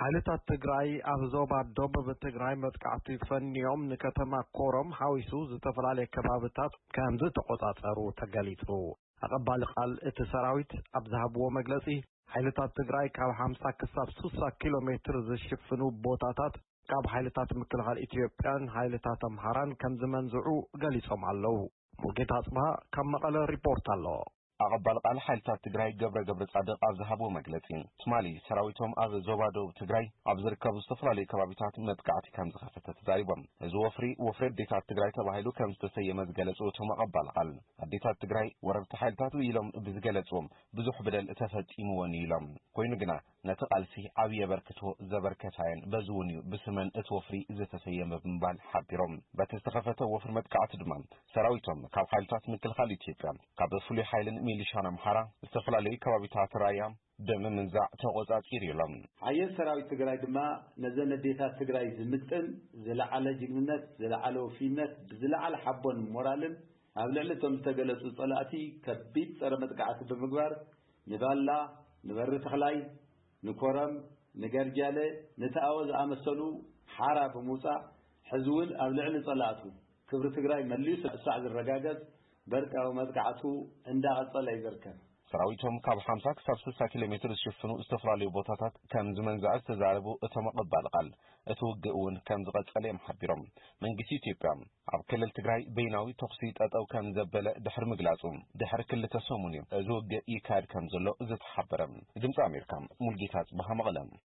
ሓይልታት ትግራይ ኣብ ዞባ ደቡብ ትግራይ መጥቃዕቲ ፈንዮም ንከተማ ኮረም ሓዊሱ ዝተፈላለየ ከባብታት ከም ዝተቆጻጸሩ ተገሊጹ። ኣቐባሊ ቃል እቲ ሰራዊት ኣብ ዝሃብዎ መግለጺ፣ ሓይልታት ትግራይ ካብ ሓምሳ ክሳብ ስሳ ኪሎ ሜትር ዝሽፍኑ ቦታታት ካብ ሓይልታት ምክልኻል ኢትዮጵያን ሓይልታት ኣምሓራን ከም ዝመንዝዑ ገሊጾም ኣለዉ። ሙልጌታ ኣጽብሃ ካብ መቐለ ሪፖርት ኣሎ። ኣቐባል ቃል ሓይልታት ትግራይ ገብረ ገብረ ጻድቕ ኣብ ዝሃብዎ መግለጺ፣ ትማሊ ሰራዊቶም ኣብ ዞባ ደቡብ ትግራይ ኣብ ዝርከቡ ዝተፈላለዩ ከባቢታት መጥቃዕቲ ከም ዝኸፈተ ተዛሪቦም። እዚ ወፍሪ፣ ወፍሪ ኣዴታት ትግራይ ተባሂሉ ከም ዝተሰየመ ዝገለጹ እቶም ኣቐባል ቃል፣ ኣዴታት ትግራይ ወረርቲ ሓይልታት ኢሎም ብዝገለጽዎም ብዙሕ በደል ተፈጺምዎን እዩ ኢሎም። ኮይኑ ግና ነቲ ቃልሲ ዓብዪ ኣበርክቶ ዘበርከታየን፣ በዚ እውን እዩ ብስመን እቲ ወፍሪ ዝተሰየመ ብምባል ሓቢሮም። በቲ ዝተኸፈተ ወፍሪ መጥቃዕቲ ድማ ሰራዊቶም ካብ ሓይልታት ምክልኻል ኢትዮጵያ፣ ካብ ፍሉይ ሓይልን ሚሊሻን ኣምሓራ ዝተፈላለዩ ከባቢታት ራያ ብምምንዛዕ ተቖጻጺሩ ኢሎም። ሓየት ሰራዊት ትግራይ ድማ ነዘን ኣዴታት ትግራይ ዝምጥን ዝለዓለ ጅግንነት፣ ዝለዓለ ወፍይነት፣ ብዝለዓለ ሓቦን ሞራልን ኣብ ልዕሊ እቶም ዝተገለጹ ጸላእቲ ከቢድ ጸረ መጥቃዕቲ ብምግባር ንባላ፣ ንበሪ ተኽላይ፣ ንኮረም፣ ንገርጃለ፣ ንተኣወ ዝኣመሰሉ ሓራ ብምውጻእ፣ ሕዚ እውን ኣብ ልዕሊ ጸላእቱ ክብሪ ትግራይ መሊሱ ሳዕ ዝረጋገጽ በርቃዊ መጥቃዕቱ እንዳቐጸለ እዩ ዝርከብ። ሰራዊቶም ካብ ሓምሳ ክሳብ ስሳ ኪሎ ሜትር ዝሽፍኑ ዝተፈላለዩ ቦታታት ከም ዝመንዝዐ ዝተዛረቡ እቶም ኣቐባል ቃል፣ እቲ ውግእ እውን ከም ዝቐጸለ እዮም ሓቢሮም። መንግስቲ ኢትዮጵያ ኣብ ክልል ትግራይ በይናዊ ተኹሲ ጠጠው ከም ዘበለ ድሕሪ ምግላጹ፣ ድሕሪ ክልተ ሰሙን እዩ እዚ ውግእ ይካየድ ከም ዘሎ ዝተሓበረ። ድምፂ ኣሜሪካ፣ ሙልጌታ ጽባሃ፣ መቐለ።